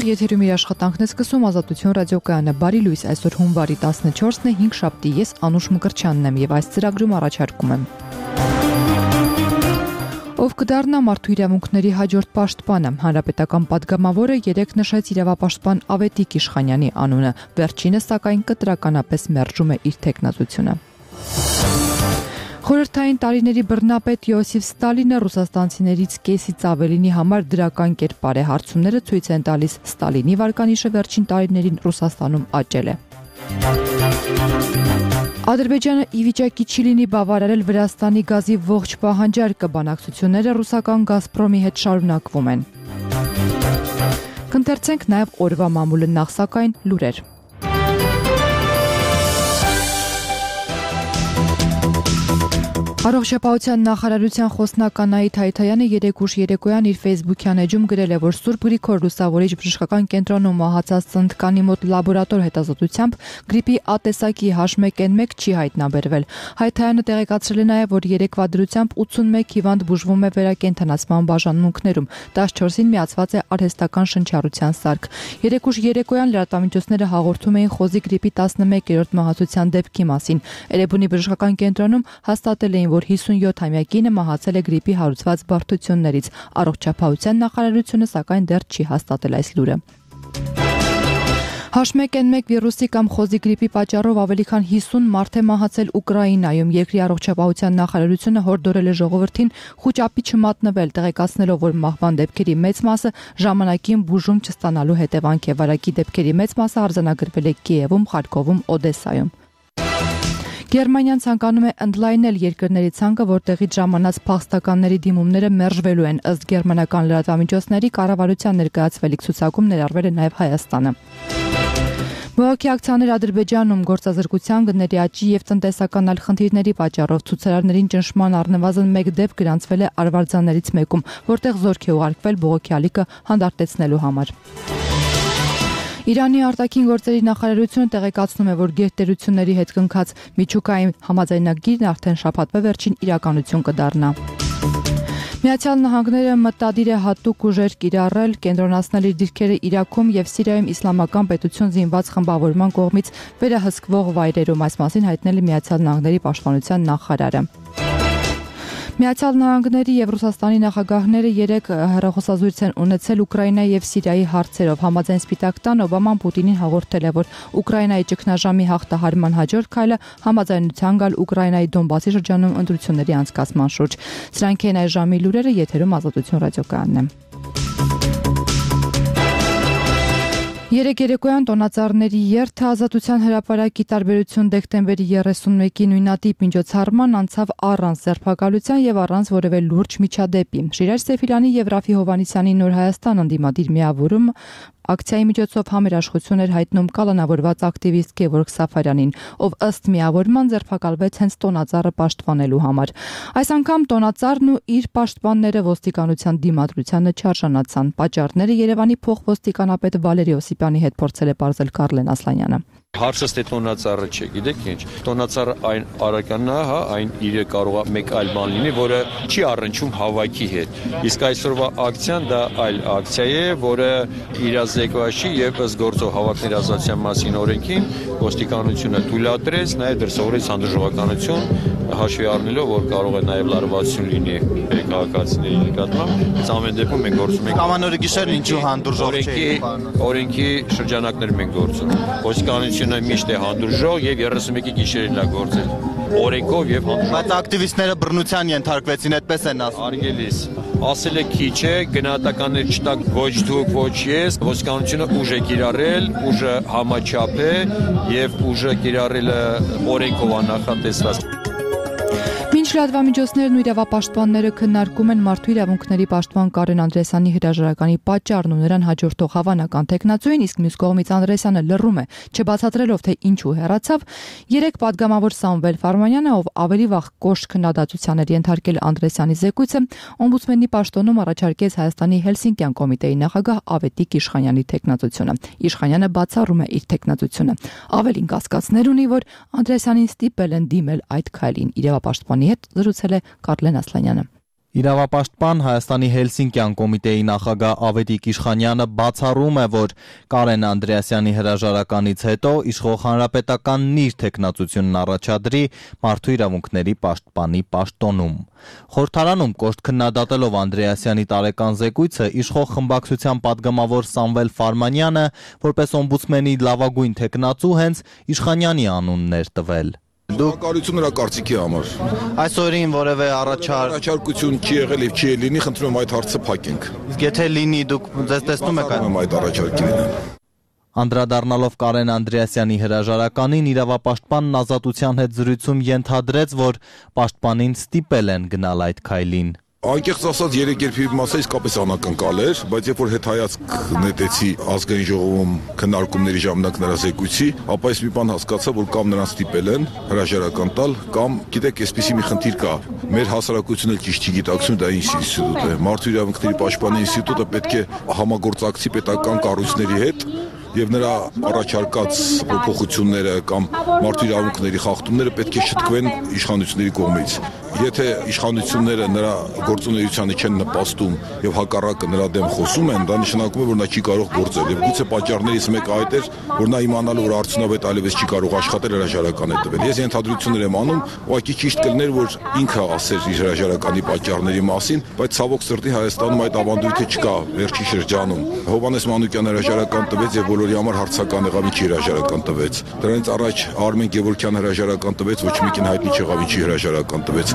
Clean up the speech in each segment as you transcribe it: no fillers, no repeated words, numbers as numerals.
եթերում իր աշխատանքն է սկսում Ազատություն ռադիոկայանը։ Բարի լույս, այսօր հունվարի 14-ն է, 5 շաբթի, ես Անուշ Մկրտչյանն եմ եւ այս ծրագրում առաջարկում եմ. Ով կդառնա մարդու իրավունքների հաջորդ պաշտպանը, հանրապետական պատգամավորը երեկ նշեց իրավապաշտպան Ավետիք Իշխանյանի անունը, վերջինս սակայն կտրականապես մերժում է իր թեկնածությունը։ Խորհրդային տարիների բռնապետ Յոսիֆ Ստալինը ռուսաստանցիներից կեսից ավելինի համար դրական կերպար է, հարցումները ցույց են տալիս Ստալինի վարկանիշը վերջին տարիներին Ռուսաստանում աճել է։ Ադրբեջանը ի վիճակի չի լինի բավարարել Վրաստանի գազի ողջ պահանջարկը, բանակցությունները ռուսական Գազպրոմի հետ շարունակվում են։ Կընթերցենք նաև օրվա մամուլը, նախ սակայն լուրեր։ Առողջապահության նախարարության խոսնակ Անահիտ Հայթայանը երեկ ուշ երեկոյան իր Facebook-յան էջում գրել է, որ Սուրբ Գրիգոր Լուսավորիչ բժշկական կենտրոնում մահացած ծննդկանի մոտ լաբորատոր հետազոտությամբ գրիպի ատեսակի H1N1 չի հայտնաբերվել։ Հայթայանը տեղեկացրել է նաև, որ երեկվա դրությամբ 81 հիվանդ բուժվում է վերակենդանացման բաժանմունքներում, 14-ին միացված է արհեստական շնչառության սարք։ Երեկ ուշ երեկոյան լրատվամիջոցները հաղորդում էին խոզի գրիպի 11-րդ մահացության դեպքի մասին։ Էրեբունի բժշկական կենտրոնում հաստատել էին, որ 57-ամյա կինը մահացել է գրիպի հարուցված բարդություններից։ Առողջապահության նախարարությունը սակայն դեռ չի հաստատել այս լուրը։ H1N1 վիրուսի կամ խոզի գրիպի պատճառով ավելի քան 50 մարդ է մահացել Ուկրաինայում։ Երկրի առողջապահության նախարարությունը հորդորել է ժողովրդին խուճապի չմատնվել, տեղեկացնելով, որ մահվան դեպքերի մեծ մասը ժամանակին բուժում չստանալու հետևանք է։ Վարակի դեպքերի մեծ մասը արձանագրվել է Կիևում, Խարկովում, Օդեսայում։ Գերմանիան ցանկանում է ընդլայնել երկրների ցանկը, որտեղից ժամանած փախստականների դիմումները մերժվելու են, ըստ գերմանական լրատվամիջոցների կառավարության ներկայացվելիք ցուցակում ներառվել է նաև Հայաստանը։ Բողոքի ակցիաներ Ադրբեջանում գործազրկության, գների աճի եւ տնտեսական այլ խնդիրների պատճառով ցուցարարներին ճնշման առնվազն 1 դեպք գրանցվել է Արվարձաններից մեկում, որտեղ զորք է ուղարկվել բողոքի ալիքը հանդարտեցնելու համար։ Իրանի արտաքին գործերի նախարարությունը տեղեկացնում է, որ գերտերությունների հետ կնքած միջուկային համաձայնագիրն արդեն շաբաթվա վերջին իրականություն կդառնա։ Միացյալ Նահանգները մտադիր է հատուկ ուժեր կիրառել, կենտրոնացնել իր դիրքերը Իրաքում եւ Սիրիայում իսլամական պետություն զինված խմբավորման կողմից վերահսկվող վայրերում, այս մասին հայտնել է Միացյալ Նահանգների պաշտպանության նախարարը։ Միացյալ Նահանգների եւ Ռուսաստանի նախագահները երեկ հեռախոսազրույց են ունեցել Ուկրաինայի եւ Սիրիայի հարցերով։ Համաձայն Սպիտակ տան Օբաման Պուտինին հաղորդել է, որ Ուկրաինայի ճգնաժամի հաղթահարման հաջորդ քայլը համաձայնության գալ Ուկրաինայի Դոնբասի շրջանում ընտրությունների անցկացման շուրջ։ Սրանք են այս ժամի լուրերը, եթերում Ազատություն ռադիոկայանն է։ Երեկ երեկոյան տոնածառների երթը Ազատության հրապարակի տարբերություն դեկտեմբերի 31-ի նույնատիպ միջոցառման անցավ առանց ձերբակալության եւ առանց որևէ լուրջ միջադեպի։ Շիրայր Սեֆիլյանի եւ Ռաֆի Հովհաննիսյանի Նոր Հայաստան ընդդիմադիր միավորում ակցիայի միջոցով համերաշխություն էր հայտնում կալանավորված ակտիվիստ Գևորգ Սաֆարյանին, ով ըստ միավորման ձերբակալվեց հենց տոնածառը պաշտպանելու համար։ Այս անգամ տոնածառն ու իր պաշտպանները ոստիկանության դիմադրությանը չարժանացան։ Պատճառները Երևանի փոխոստիկանապետ Վալերի Օսիպյանի հետ փորձել է պարզել Կարլեն Ասլանյանը։ Հարցը ստե տոնածառը չէ, գիտեք ինչ։ Տոնածառը այն արականն է, հա, այն իրը կարող է մեկ այլ բան լինի, որը չի առնչում հավաքի հետ։ Իսկ այսօրվա ակցիան դա այլ ակցիա է, որը իրազեկված չի եւ ըստ գործող հավաքների ազատության մասին օրենքին ոստիկանությունը թույլատրեց, նաեւ դրսևորեց հանդուրժողականություն, հաշվի առնելով, որ կարող է նաեւ լարվածություն լինի քաղաքացիների նկատմամբ։ Այս ամեն դեպքում մենք գործում ենք Ամանորի գիշերն ինչու հանդուրժող չէ։ Օրենքի շրջանակներ մենք գործում։ Ոստիկանությունը միշտ է հանդուրժող եւ 31-ի գիշերին լա գործել օրենքով եւ հանդուրժող։ Բայց ակտիվիստները բռնության ենթարկվեցին, այդպես են ասում։ Արգելիս ասել է քիչ է, գնահատականներ չտակ ոչ դուք, ոչ ես։ Ոստիկանությունը ուժ է կիրառել, ուժը համաչափ է եւ ուժը կիրառելը օրենքով աննախատեսված։ Մինչ լրատվամիջոցներն ու իրավապաշտպանները քննարկում են մարդու իրավունքների պաշտպան Կարեն Անդրեասյանի հրաժարականի պատճառն ու նրան հաջորդող հավանական թեկնածուին, իսկ մյուս կողմից Անդրեասյանը լռում է, չբացատրելով թե ինչու հեռացավ, երեկ պատգամավոր Սամվել Ֆարմանյանը, ով ավելի վաղ կոշտ քննադատության էր ենթարկել Անդրեասյանի զեկույցը, օմբուդսմենի պաշտոնում առաջարկեց Հայաստանի Հելսինկյան կոմիտեի նախագահ Ավետիք Իշխանյանի թեկնածությունը։ Իշխանյանը բացառում է իր թեկնածությունը։ Ավելին կասկածներ ունի, որ Անդրեասյանին ստիպել են դիմել այդ քայլին։ Իրավապաշտպանի հետ զրուցել է Կարլեն Ասլանյանը։ Իրավապաշտպան Հայաստանի Հելսինկյան կոմիտեի նախագահ Ավետիք Իշխանյանը բացառում է, որ Կարեն Անդրեասյանի հրաժարականից հետո իշխող հանրապետականն իր թեկնածությունն առաջադրի մարդու իրավունքների պաշտպանի պաշտոնում։ Խորհրդարանում կոշտ քննադատելով Անդրեասյանի տարեկան զեկույցը, իշխող խմբակցության падգամավոր Սամվել Ֆարմանյանը, որպես օմբուդսմենի լավագույն թեկնածու, հենց Իշխանյանի անունն էր տվել։ Դուկարություն նրա կարծիքի համար։ Այս օրին որևէ առաջարկություն չի եղել եւ չի լինի, խնդրում եմ այդ հարցը փակենք։ Իսկ եթե լինի, դուք ձեզ տեսնում եք այդ առաջարկին։ Անդրադառնալով Կարեն Անդրեասյանի հրաժարականին, իրավապաշտպանն Ազատության հետ զրույցում ենթադրեց, որ պաշտպանին ստիպել են գնալ այդ քայլին։ Անկեղծ ասած, երեկերպի մասը իսկապես անակնկալ էր, բայց երբ որ հետայացք նետեցի ազգային ժողովում քննարկումների ժամանակ նրա զեկույցի, ապա ես մի բան հասկացա, որ կամ նրան ստիպել են հրաժարական տալ, կամ գիտեք, այսպեսի մի խնդիր կա։ Մեր հասարակությունը ճիշտ չի գիտակցում, դա ինչ ինստիտուտ է։ Մարդու իրավունքների պաշտպանի ինստիտուտը պետք է համագործակցի պետական կառույցների հետ եւ նրա առաջարկած փոփոխությունները կամ մարդու իրավունքների խախտումները պետք է շտկվեն իշխանությունների կողմից։ Եթե իշխանությունները նրա գործունեությանը չեն նպաստում եւ հակառակը նրա դեմ խոսում են, դա նշանակում է, որ նա չի կարող գործել եւ գուցե պատճառներից մեկը այդ էր, որ նա իմանալով, որ արդյունավետ այլևս չի կարող աշխատել, հրաժարական է տվել։ Ես ենթադրություններ եմ անում, ուղղակի ճիշտ կլիներ, որ ինքը ասեր իր հրաժարականի պատճառների մասին, բայց ցավոք սրտի Հայաստանում այդ ավանդույթը չկա վերջի շրջանում։ Հովհաննես Մանուկյանը հրաժարական տվեց եւ բոլորի համար հարցական եղավ, ինչի հրաժարական տվեց։ Դրանից առաջ Արմեն Գևորգյանը հրաժարական տվեց, ոչ մեկին հայտնի չեղավ, ինչի հրաժարական տվեց։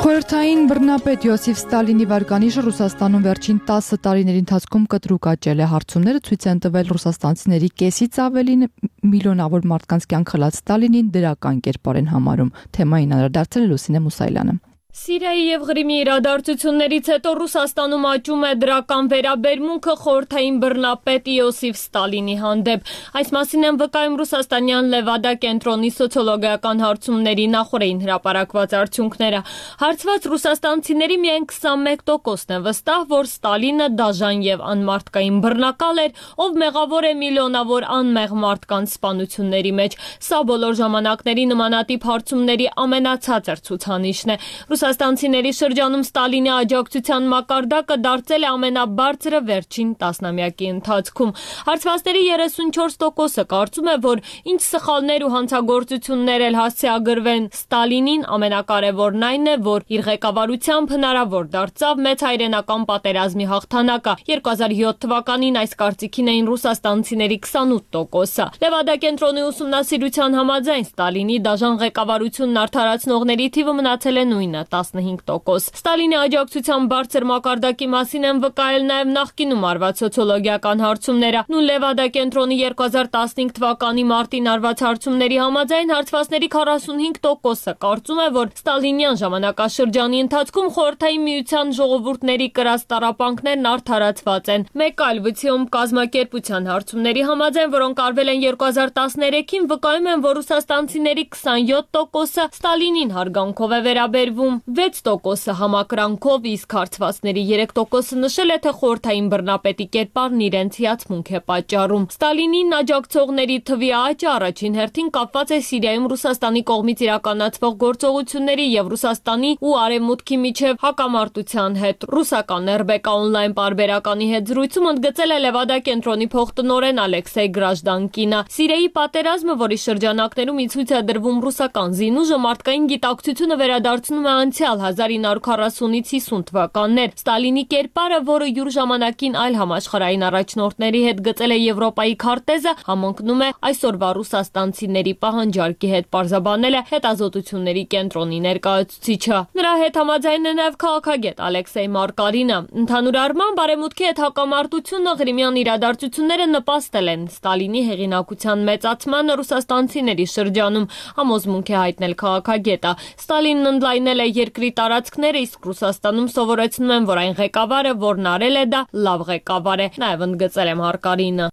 Խորհրդային բռնապետ Յոսիֆ Ստալինի վարկանիշը Ռուսաստանում վերջին 10 տարիների ընթացքում կտրուկ աճել է։ Հարցումները ցույց են տվել ռուսաստանցիների կեսից ավելին միլիոնավոր մարդկանց կյանք խլած Ստալինին դրական կերպար են համարում։ Թեմային անդրադարձել է Լուսինե Մուսայելյանը։ Սիրիայի եւ Ղրիմի իրադարձություններից հետո Ռուսաստանում աճում է դրական վերաբերմունքը խորհրդային բռնապետ Յոսիֆ Ստալինի հանդեպ։ Այս մասին են վկայում ռուսաստանյան Լևադա կենտրոնի սոցիոլոգիական հարցումների նախորդին հրապարակված արդյունքները։ Հարցված ռուսաստանցիների միայն 21%-ն է վստահ, որ Ստալինը դաժան եւ անմարդկային բռնակալ էր, ով մեղավոր է միլիոնավոր անմեղ մարդկանց սպանությունների մեջ։ Սա բոլոր ժամանակների նմանատիպ հարցումների ամենացածր ցուցանիշն է։ Ռուսաստանցիների շրջանում Ստալինի աջակցության մակարդակը դարձել է ամենաբարձրը վերջին տասնամյակի ընթացքում։ Հարցվածների 34%-ը կարծում է, որ ինչ սխալներ ու հանցագործություններ էլ հասցեագրվեն Ստալինին, ամենակարևորն այն է, որ իր ղեկավարությամբ հնարավոր դարձավ մեծ հայրենական պատերազմի հաղթանակը։ 2007 թվականին այս կարծիքին էին ռուսաստանցիների 28%-ը։ Լևադա կենտրոնի ուսումնասիրության համաձայն Ստալինի դաժան ղեկավարությունն արդարացնողների թիվը մնացել է նույնը 15%։ Ստալինի աջակցության բարձր մակարդակի մասին են վկայել նաև նախկինում արված սոցիոլոգիական հարցումները։ Նույն Լևադա կենտրոնի 2015 թվականի մարտին արված հարցումների համաձայն հարցվածների 45%-ը կարծում է, որ Ստալինյան ժամանակաշրջանի ընթացքում խորհրդային միության ժողովուրդների կրած տառապանքներն արդարացված են։ Մեկ այլ վիցիում կազմակերպության հարցումների համաձայն, որոնք արվել են 2013-ին, վկայում են, որ ռուսաստանցիների 27%-ը Ստալինին հարգանքով է վերաբերվում, 6%-ը համակրանքով, իսկ հարցվածների 3%-ը նշել է, թե խորհրդային բռնապետի կերպարն իրենց հիացմունք է պատճառում։ Ստալինին աջակցողների թվի աճը առաջին հերթին կապված է Սիրիայում Ռուսաստանի կողմից իրականացվող գործողությունների եւ Ռուսաստանի ու Արևմուտքի միջև հակամարտության հետ։ Ռուսական RBK on-line պարբերականի հետ զրույցում ընդգծել է Լևադա կենտրոնի փոխտնօրեն Ալեքսեյ Գրաժդանկինը։ Սիրիայի պատերազմը, որի շրջանակներում ի ցույց է դրվում ռուսական զինուժը, մարդկային գիտակցությունը վերադարձնում է անցյալ 1940-ից 50 թվականներ։ Ստալինի կերպարը, որը յուր ժամանակին այլ համաշխարհային առաջնորդների հետ գծել է Եվրոպայի քարտեզը, համընկնում է այսօրվա ռուսաստանցիների պահանջարկի հետ, պարզաբանել է հետազոտությունների կենտրոնի ներկայացուցիչը։ Նրա հետ համաձայն է նաև քաղաքագետ Ալեքսեյ Մարկարինը։ Ընդհանուր առմամբ Արևմուտքի հետ հակամարտությունը, Ղրիմյան իրադարձությունները նպաստել են Ստալինի հեղինակության մեծացմանը ռուսաստանցիների շրջանում, համոզմունք է հայտնել քաղաքագետը։ Ստալինն ընդլայնել է երկրի տարածքները, իսկ Ռուսաստանում սովորեցնում են, որ այն ղեկավարը, որն արել է դա, լավ ղեկավար է, նաև ընդգծել է Մարկարինը։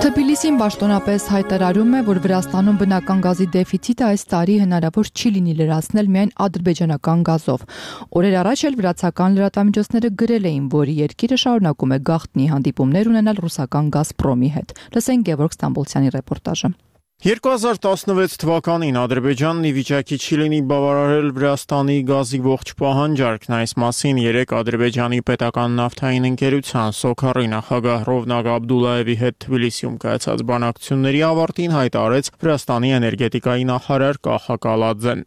Թբիլիսին պաշտոնապես հայտարարում է, որ Վրաստանում բնական գազի դեֆիցիտը այս տարի հնարավոր չի լինի լրացնել միայն ադրբեջանական գազով։ Օրեր առաջ էլ վրացական լրատվամիջոցները գրել էին, որ երկիրը շարունակում է գաղտնի հանդիպումներ ունենալ ռուսական Գազպրոմի հետ։ Լսենք Գևորգ Ստամբոլցյանի ռեպորտաժը։ 2016 թվականին Ադրբեջանն ի վիճակի չի լինի բավարարել Վրաստանի գազի ողջ պահանջարկն, այս մասին 3 Ադրբեջանի պետական նավթային ընկերության Սոքարի նախագահ Ռովնակ Աբդուլլայևի հետ Թբիլիսիում կայացած բանակցությունների ավարտին հայտարարեց Վրաստանի էներգետիկայի նախարար Կախա Կալաձեն։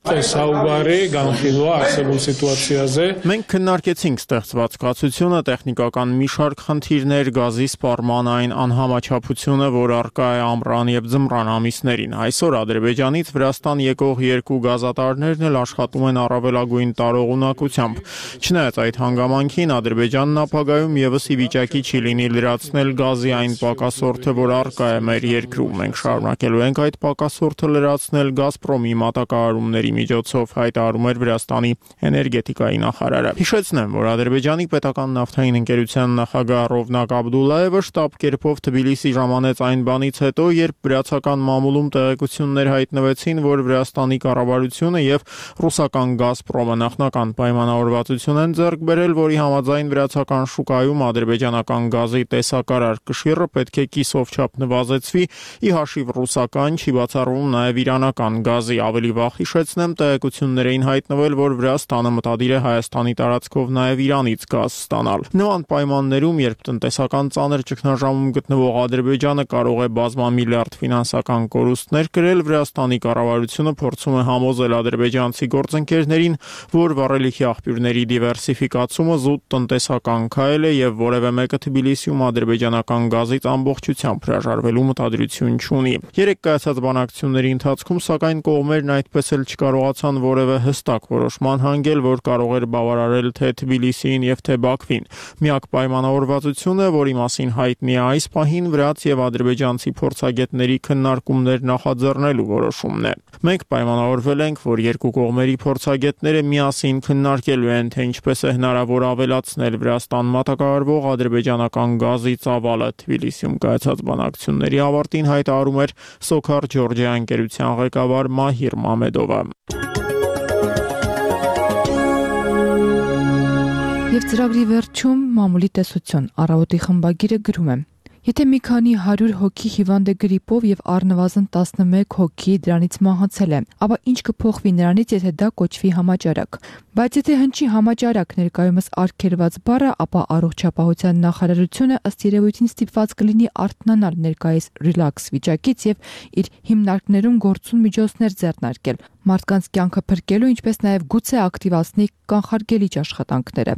Մենք քննարկեցինք ստեղծված կացությունը, տեխնիկական մի շարք խնդիրներ, գազի սպառման այն անհամաչափությունը, որ առկա է ամռան եւ ձմռան ամիս Այսօր Ադրբեջանից Վրաստան եկող 2 գազատարներն էլ աշխատում են առավելագույն տարողունակությամբ։ Չնայած այդ հանգամանքին Ադրբեջանն ապագայում եւս ի վիճակի չի լինի լրացնել գազի այն պակասորթը, որ առկա է մեր երկրում։ Մենք շարունակելու ենք այդ պակասորթը լրացնել Գազպրոմի մատակարարումների միջոցով, հայտարարում էր Վրաստանի էներգետիկայի նախարարը։ Հիշեցնեմ, որ Ադրբեջանի պետական նավթային ընկերության նախագահ Ռովնակ Աբդուլլայևը շտաբ կերպով Թբիլիսի ժամանեց այն բանից հետո, երբ վրացական մամուլում տեղեկություններ հայտնվեցին, որ Վրաստանի կառավարությունը եւ ռուսական Գազպրոմը նախնական պայմանավորվածություն են ձեռք բերել, որի համաձայն վրացական շուկայում ադրբեջանական գազի տեսակարար կշիռը պետք է կիսով չափ նվազեցվի, ի հաշիվ ռուսական, չի բացառվում նաեւ իրանական գազի։ Ավելի վաղ հիշեցնեմ, տեղեկություններ էին հայտնվել, որ Վրաստանը մտադիր է Հայաստանի տարածքով նաեւ Իրանից գազ ստանալ։ Նման պայմաններում, երբ տնտեսական ծանր ճգնաժամում գտնվող Ադրբեջանը կարող է բազմամիլիարդ ֆինանսական կորուստներ կրել, Վրաստանի կառավարությունը փորձում է համոզել ադրբեջանցի գործընկերներին, որ վառելիքի աղբյուրների դիվերսիֆիկացումը զուտ տնտեսական քայլ է եւ որևէ մեկը Թբիլիսիում ադրբեջանական գազից ամբողջությամբ հրաժարվելու մտադրություն չունի։ 3 կայացած բանակցությունների ընթացքում, սակայն կողմերն այդպես էլ չկարողացան որևէ հստակ որոշման հանգել, որ կարող էր բավարարել թե Թբիլիսիին եւ թե Բաքվին։ Միակ պայմանավորվածությունը, որի մասին հայտնի է այս պահին, վրաց եւ ադրբեջանցի փորձագետների քննարկումներ նախաձեռնելու որոշումն է։ Մենք պայմանավորվել ենք, որ 2 կողմերի փորձագետները միասին քննարկելու են, թե ինչպես է հնարավոր ավելացնել Վրաստան մատակարարվող ադրբեջանական գազի ծավալը։ Թբիլիսիում կայացած բանակցությունների ավարտին հայտարարում էր Սոքար Ջորջիա ընկերության ղեկավար Մահիր Մամեդովը։ Եվ ծրագրի վերջում մամուլի տեսություն առավոտի խմբագիրը գրում է. Եթե մի քանի 100 հոգի հիվանդ է գրիպով եւ առնվազն 11 հոգի դրանից մահացել է, ապա ինչ կփոխվի նրանից, եթե դա կոչվի համաճարակ։ Բայց եթե հնչի համաճարակ ներկայումս արգելված բառը, ապա առողջապահության նախարարությունը ըստ երևույթին ստիպված կլինի արթնանալ ներկայիս ռիլաքս վիճակից եւ իր հիմնարկներում գործուն միջոցներ ձեռնարկել մարդկանց կյանքը փրկելու, ինչպես նաև գուցե ակտիվացնի կանխարգելիչ աշխատանքները։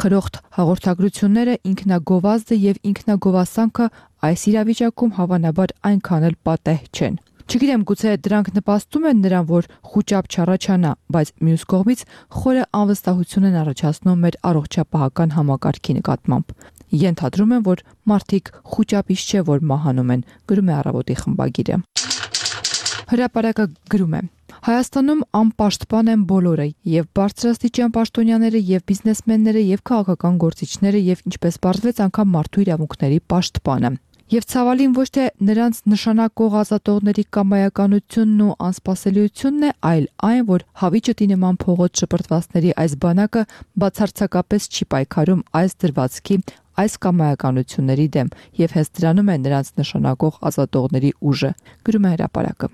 Խրոխտ հաղորդագրությունները, ինքնագովազդը եւ ինքնագովասանքը այս իրավիճակում հավանաբար այնքան էլ պատեհ չեն։ Չգիտեմ, գուցե դրանք նպաստում են նրան, որ խուճապ չառաջանա, բայց մյուս կողմից խորը անվստահություն են առաջացնում մեր առողջապահական համակարգի նկատմամբ։ Ենթադրում եմ, որ մարդիկ խուճապից չէ, որ մահանում են, գրում է Առավոտի խմբագիրը։ Հրապարակը գրում է. Հայաստանում անպաշտպան են բոլորը, եւ բարձրաստիճան պաշտոնյաները, եւ բիզնեսմենները, եւ քաղաքական գործիչները, եւ ինչպես պարզվեց, անգամ մարդու իրավունքների պաշտպանը։ Եվ ցավալին ոչ թե նրանց նշանակող ազատողների կամայականությունն ու անսպասելիությունն է, այլ այն, որ հավիճտի նման փողոց շպրտվածների այս բանակը բացարձակապես չի պայքարում այս դրվածքի, այս կամայականությունների դեմ, եւ հենց դրանում է նրանց նշանակող ազատողների ուժը, գրում է հրապարակը։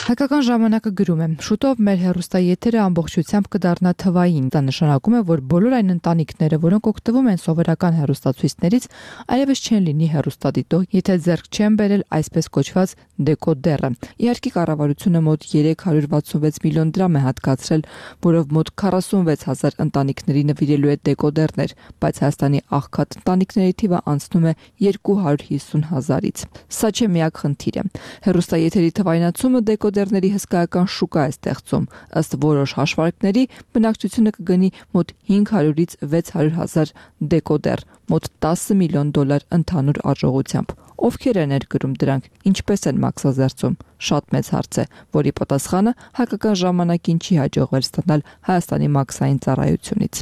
Հայկական ժամանակը գրում է. շուտով մեր հեռուստաեթերը ամբողջությամբ կդառնա թվային։ Դա նշանակում է, որ բոլոր այն ընտանիքները, որոնք օգտվում են սովորական հեռուստացույցներից, այլևս չեն լինի հեռուստադիտող, եթե ձեռք չեն բերել այսպես կոչված դեկոդերը։ Իհարկե կառավարությունը մոտ 366 միլիոն դրամ է հատկացրել, որով մոտ 46000 ընտանիքների նվիրելու է դեկոդերներ, բայց Հայաստանի աղքատ ընտանիքների թիվը անցնում է 250,000-ից։ Սա չէ միակ խնդիրը։ Հեռուստաեթերի թվայնացումը դեկոդերների հսկայական շուկա է ստեղծում։ Ըստ որոշ հաշվարկների, բնակչությունը կգնի մոտ 500-ից 600,000 դեկոդեր, մոտ $10 միլիոն ընդհանուր արժողությամբ։ Ովքեր են ներկրում դրանք, ինչպես են մաքսազերծում, շատ մեծ հարց է, որի պատասխանը հայկական ժամանակին չի հաջողվել ստանալ Հայաստանի մաքսային ծառայությունից։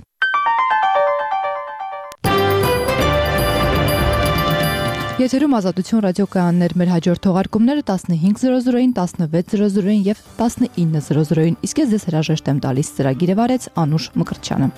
Եթերում Ազատություն ռադիոկայաններ, մեր հաջորդ թողարկումները 15:00-ին, 16:00-ին եւ 19:00-ին, իսկ ես ձեզ հրաժեշտ եմ տալիս, ծրագիրը վարեց Անուշ Մկրտչյանը։